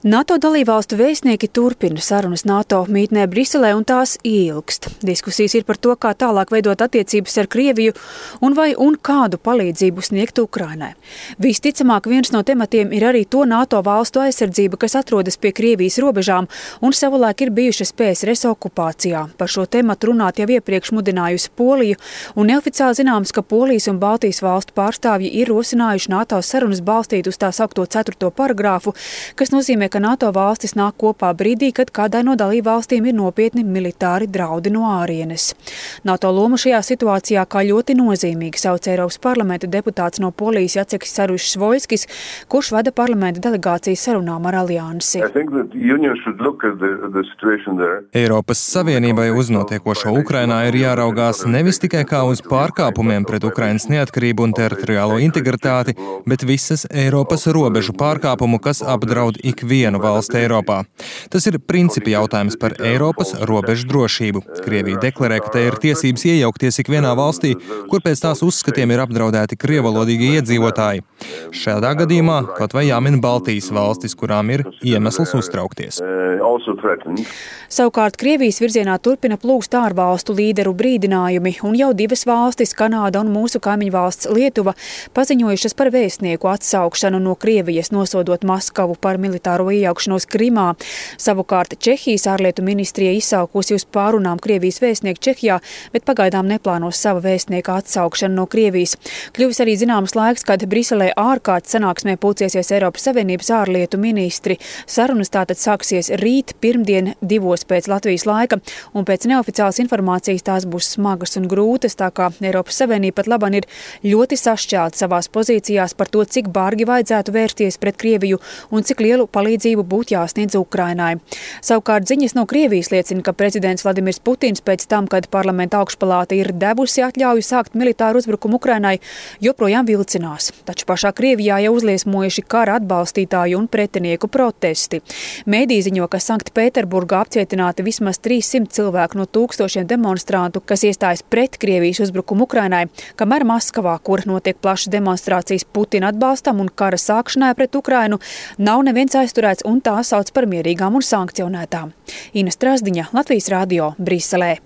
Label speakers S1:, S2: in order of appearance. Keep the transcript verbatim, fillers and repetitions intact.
S1: NATO dalībvalstu vēstnieki turpina sarunas NATO mītnē Briselē un tās ilgst. Diskusijas ir par to, kā tālāk veidot attiecības ar Krieviju un vai un kādu palīdzību sniegt Ukrainai. Visticamāk, viens no tematiem ir arī to NATO valstu aizsardzība, kas atrodas pie Krievijas robežām un savulaik ir bijušas P S R S okupācijā. Par šo tematu runāt jau iepriekš mudinājusi Poliju, un neoficiāli zināms, ka Polijas un Baltijas valstu pārstāvji ir rosinājuši NATO sarunas balstīt uz tā saukto ceturto paragrāfu, kas nozīmē, ka NATO valstis nāk kopā brīdī, kad kādai no dalībvalstīm ir nopietni militāri draudi no ārienes. NATO lomu šajā situācijā kā ļoti nozīmīgi sauc Eiropas parlamenta deputāts no Polijas Jaceks Saryušs-Voļskis, kurš vada parlamenta delegācijas sarunām ar aliansi.
S2: Eiropas Savienībai uz notiekošo Ukrainā ir jāraugās nevis tikai kā uz pārkāpumiem pret Ukrainas neatkarību un teritoriālo integritāti, bet visas Eiropas robežu pārkāpumu, kas apdraud ikvienu vienu valsti Eiropā. Tas ir principi jautājums par Eiropas robežu drošību. Krievija deklarē, ka te ir tiesības iejaukties ikvienā valstī, kur pēc tās uzskatiem ir apdraudēti krievalodīgi iedzīvotāji. Šādā gadījumā kaut vai jāmin Baltijas valstis, kurām ir iemesls uztraukties.
S1: Savukārt Krievijas virzienā turpina plūst ārvalstu līderu brīdinājumi, un jau divas valstis, Kanāda un mūsu kaimiņu valsts Lietuva, paziņojušas par vēstnieku atsaukšanu no Krievijas, nosodot Maskavu par militāro iejaukšanos Krimā. Savukārt Čehijas ārlietu ministrija izsaukusi uz pārunām Krievijas vēstnieku Čehijā, bet pagaidām neplānos sava vēstnieka atsaukšanu no Krievijas. Kļuvis arī zināms laiks, kad Briselē ārkārtas sanāksmē pulcēsies Eiropas Savienības ārlietu ministri. Sarunas tātad sāksies rīt, pirmdien, divos pēc Latvijas laika, un pēc neoficiālas informācijas tās būs smagas un grūtas, tā kā Eiropas Savienība pat laban ir ļoti sašķelta savās pozīcijās par to, cik bargi vajadzētu vērsties pret Krieviju un cik lielu palīdzību būtu jāsniedz Ukrainai. Savukārt ziņas no Krievijas liecina, ka prezidents Vladimirs Putins pēc tam, kad parlamenta augšpalāta ir devusi atļauju sākt militāru uzbrukumu Ukrainai, joprojām vilcinās. Taču pašā Krievijā jau uzliesmojuši kara atbalstītāju un pretinieku protesti. Mēdī ziņo, ka Sanktpēterburgā apcietināti vismaz trīssimt cilvēku no tūkstošiem demonstrantu, kas iestājas pret Krievijas uzbrukumu Ukrainai, kamēr Maskavā, kur notiek plašas demonstrācijas Putina atbalstam un kara sākšanai pret Ukrainu, nav neviens aizturēts un tā sauc par mierīgām un sankcionētām. Ina Strasdiņa, Latvijas radio, Briselē.